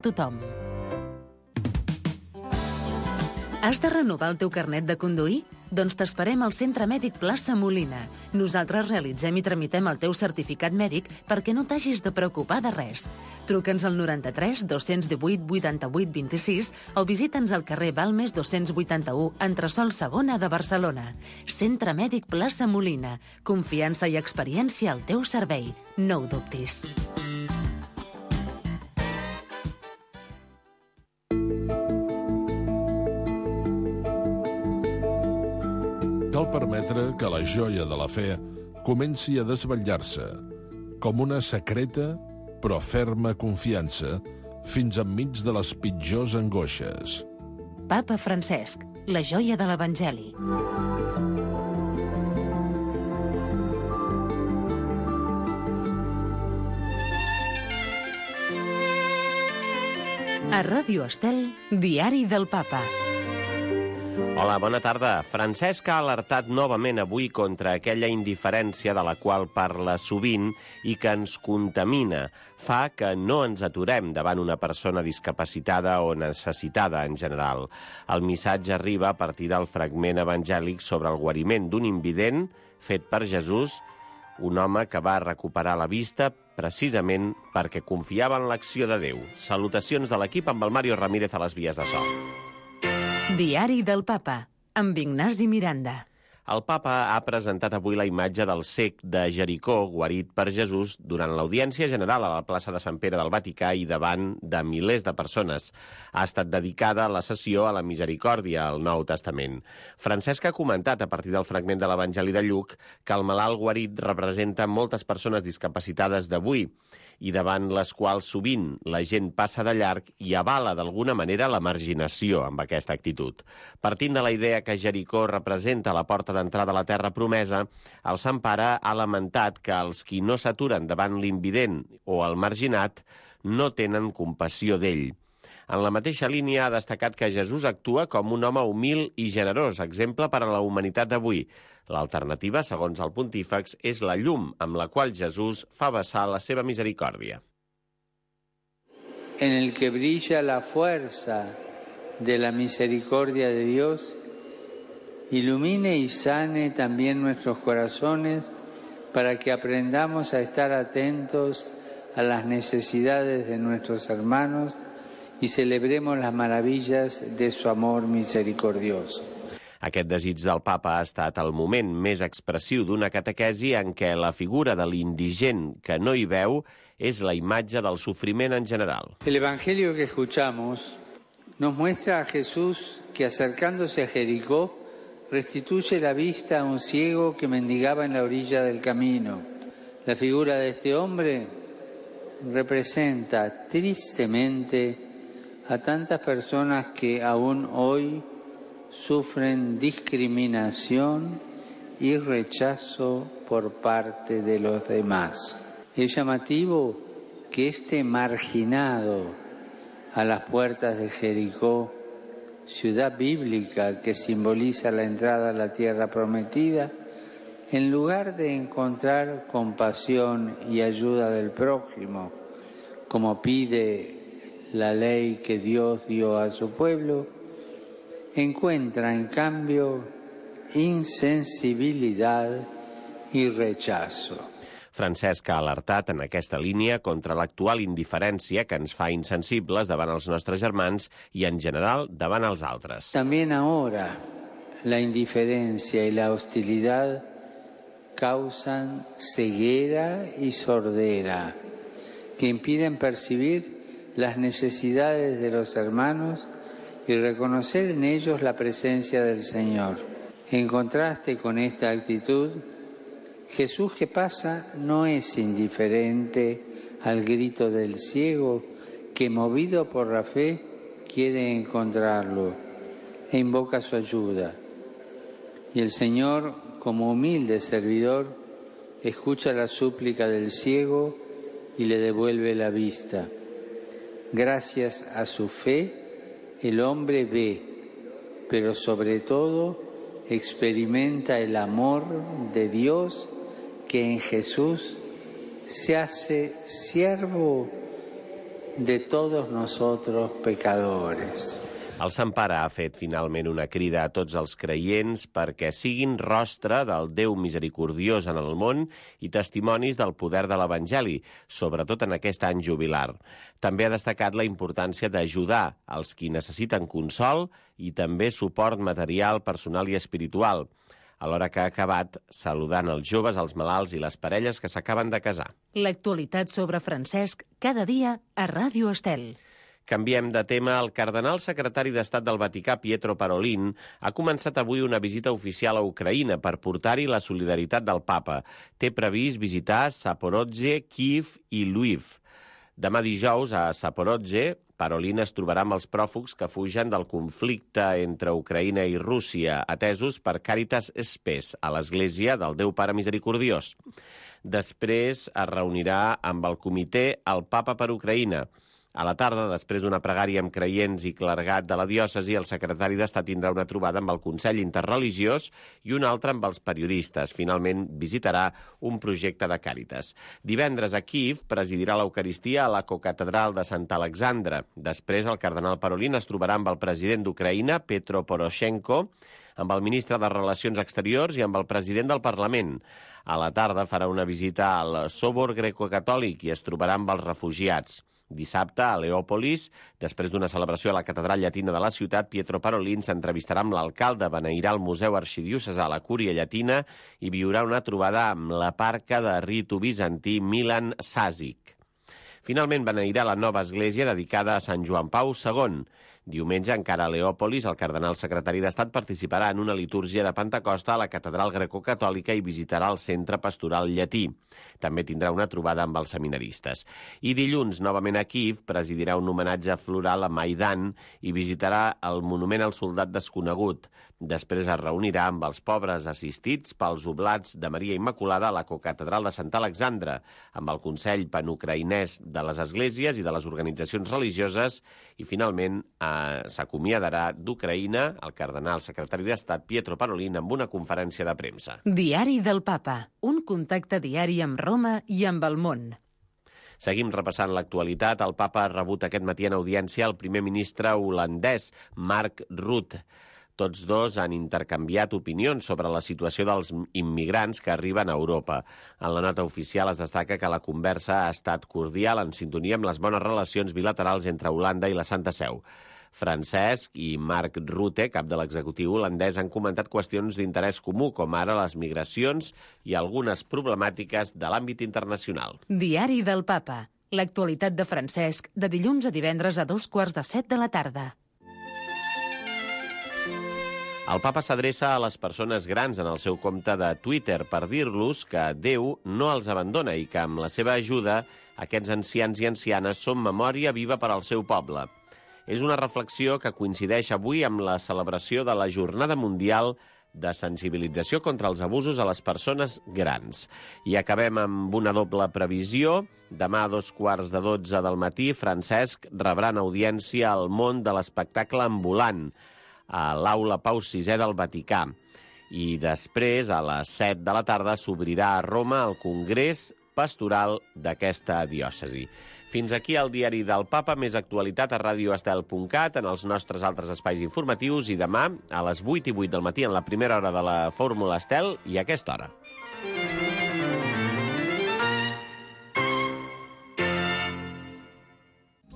tothom. Has de renovar el teu carnet de conduir? Doncs t'esperem al Centre Mèdic Plaça Molina. Nosaltres realitzem i tramitem el teu certificat mèdic perquè no t'hagis de preocupar de res. Truca'ns al 93 218 88 26 o visita'ns al carrer Balmes 281, entresòl segona de Barcelona. Centre Mèdic Plaça Molina. Confiança i experiència al teu servei. No ho dubtis. Cal permetre que la joia de la fe comenci a desvetllar-se, com una secreta però ferma confiança, fins enmig de les pitjors angoixes. Papa Francesc, la joia de l'Evangeli. A Ràdio Estel, Diari del Papa. Hola, bona tarda. Francesc ha alertat novament avui contra aquella indiferència de la qual parla sovint i que ens contamina. Fa que no ens aturem davant una persona discapacitada o necessitada en general. El missatge arriba a partir del fragment evangèlic sobre el guariment d'un invident fet per Jesús, un home que va recuperar la vista precisament perquè confiava en l'acció de Déu. Salutacions de l'equip amb el Mario Ramírez a les vies de so. Diari del Papa, amb Ignasi Miranda. El papa ha presentat avui la imatge del cec de Jericó, guarit per Jesús, durant l'audiència general a la plaça de Sant Pere del Vaticà i davant de milers de persones. Ha estat dedicada la sessió a la misericòrdia al Nou Testament. Francesc ha comentat, a partir del fragment de l'Evangeli de Lluc, que el malalt guarit representa moltes persones discapacitades d'avui, i davant les quals sovint la gent passa de llarg i avala d'alguna manera la marginació amb aquesta actitud. Partint de la idea que Jericó representa la porta d'entrada a la terra promesa, el Sant Pare ha lamentat que els qui no s'aturen davant l'invident o el marginat no tenen compassió d'ell. En la mateixa línia ha destacat que Jesús actua com un home humil i generós, exemple per a la humanitat d'avui. L'alternativa, segons el pontífex, és la llum amb la qual Jesús fa vessar la seva misericòrdia. En el que brilla la fuerza de la misericordia de Dios, ilumine y sane también nuestros corazones para que aprendamos a estar atentos a las necesidades de nuestros hermanos y celebremos las maravillas de su amor misericordioso. Aquest desig del papa ha estat el moment més expressiu d'una catequesi en què la figura de l'indigent que no hi veu és la imatge del sofriment en general. El evangelio que escuchamos nos muestra a Jesús que acercándose a Jericó restituye la vista a un ciego que mendigaba en la orilla del camino. La figura de este hombre representa tristemente a tantas personas que aún hoy sufren discriminación y rechazo por parte de los demás. Es llamativo que este marginado a las puertas de Jericó, ciudad bíblica que simboliza la entrada a la tierra prometida, en lugar de encontrar compasión y ayuda del prójimo, como pide la ley que Dios dio a su pueblo, encuentra en cambio insensibilidad y rechazo. Francesc ha alertat en aquesta línia contra l'actual indiferència que ens fa insensibles davant els nostres germans i, en general, davant els altres. También ahora la indiferencia y la hostilidad causan ceguera y sordera que impiden percibir las necesidades de los hermanos y reconocer en ellos la presencia del Señor. En contraste con esta actitud, Jesús que pasa no es indiferente al grito del ciego que, movido por la fe, quiere encontrarlo e invoca su ayuda. Y el Señor, como humilde servidor, escucha la súplica del ciego y le devuelve la vista. Gracias a su fe, el hombre ve, pero sobre todo experimenta el amor de Dios que en Jesús se hace siervo de todos nosotros pecadores. El Sant Pare ha fet finalment una crida a tots els creients perquè siguin rostre del Déu misericordiós en el món i testimonis del poder de l'Evangeli, sobretot en aquest any jubilar. També ha destacat la importància d'ajudar els qui necessiten consol i també suport material, personal i espiritual, alhora que ha acabat saludant els joves, els malalts i les parelles que s'acaben de casar. L'actualitat sobre Francesc cada dia a Ràdio Estel. Canviem de tema. El cardenal secretari d'Estat del Vaticà, Pietro Parolin, ha començat avui una visita oficial a Ucraïna per portar-hi la solidaritat del papa. Té previst visitar Zaporozhye, Kiev i Lviv. Demà dijous, a Zaporozhye, Parolin es trobarà amb els pròfugs que fugen del conflicte entre Ucraïna i Rússia, atesos per Càritas Spes, a l'Església del Déu Pare Misericordiós. Després es reunirà amb el comitè El Papa per Ucraïna. A la tarda, després d'una pregària amb creients i clergat de la diòcesi, el secretari d'Estat tindrà una trobada amb el Consell Interreligiós i una altra amb els periodistes. Finalment, visitarà un projecte de Càritas. Divendres a Kiev presidirà l'Eucaristia a la cocatedral de Sant Alexandre. Després, el cardenal Parolin es trobarà amb el president d'Ucraïna, Petro Poroshenko, amb el ministre de Relacions Exteriors i amb el president del Parlament. A la tarda farà una visita al Sòbor Greco-Catòlic i es trobarà amb els refugiats. Dissabte, a Leòpolis, després d'una celebració a la catedral llatina de la ciutat, Pietro Parolin s'entrevistarà amb l'alcalde, beneirà el Museu Arxidiocesà a la Cúria Llatina i viurà una trobada amb la parca de ritu bizantí Milan Sasic. Finalment, beneirà la nova església dedicada a Sant Joan Pau II. Diumenge, encara a Leòpolis, el cardenal secretari d'Estat participarà en una litúrgia de Pentecosta a la catedral grecocatòlica i visitarà el centre pastoral llatí. També tindrà una trobada amb els seminaristes. I dilluns, novament a Kiev, presidirà un homenatge floral a Maidan i visitarà el monument al soldat desconegut. Després es reunirà amb els pobres assistits pels oblats de Maria Immaculada a la cocatedral de Sant Alexandre, amb el Consell Panucraïnès de les Esglésies i de les organitzacions religioses i, finalment, s'acomiadarà d'Ucraïna el cardenal secretari d'Estat Pietro Parolin amb una conferència de premsa. Diari del Papa, un contacte diari amb Roma i amb el món. Seguim repassant l'actualitat. El papa ha rebut aquest matí en audiència el primer ministre holandès, Mark Rutte. Tots dos han intercanviat opinions sobre la situació dels immigrants que arriben a Europa. En la nota oficial es destaca que la conversa ha estat cordial en sintonia amb les bones relacions bilaterals entre Holanda i la Santa Seu. Francesc i Mark Rutte, cap de l'executiu holandès, han comentat qüestions d'interès comú, com ara les migracions i algunes problemàtiques de l'àmbit internacional. Diari del Papa. L'actualitat de Francesc, de dilluns a divendres a 6:45 de la tarda. El papa s'adreça a les persones grans en el seu compte de Twitter per dir-los que Déu no els abandona i que amb la seva ajuda aquests ancians i ancianes són memòria viva per al seu poble. És una reflexió que coincideix avui amb la celebració de la Jornada Mundial de Sensibilització contra els abusos a les persones grans. I acabem amb una doble previsió. Demà a 11:15 del matí, Francesc rebrà en audiència al món de l'espectacle ambulant a l'Aula Pau VI del Vaticà. I després, a les 7 de la tarda, s'obrirà a Roma el Congrés Pastoral d'aquesta diòcesi. Fins aquí el diari del Papa, més actualitat a radioestel.cat, en els nostres altres espais informatius, i demà a les 8:08 del matí en la primera hora de la Fórmula Estel i a aquesta hora.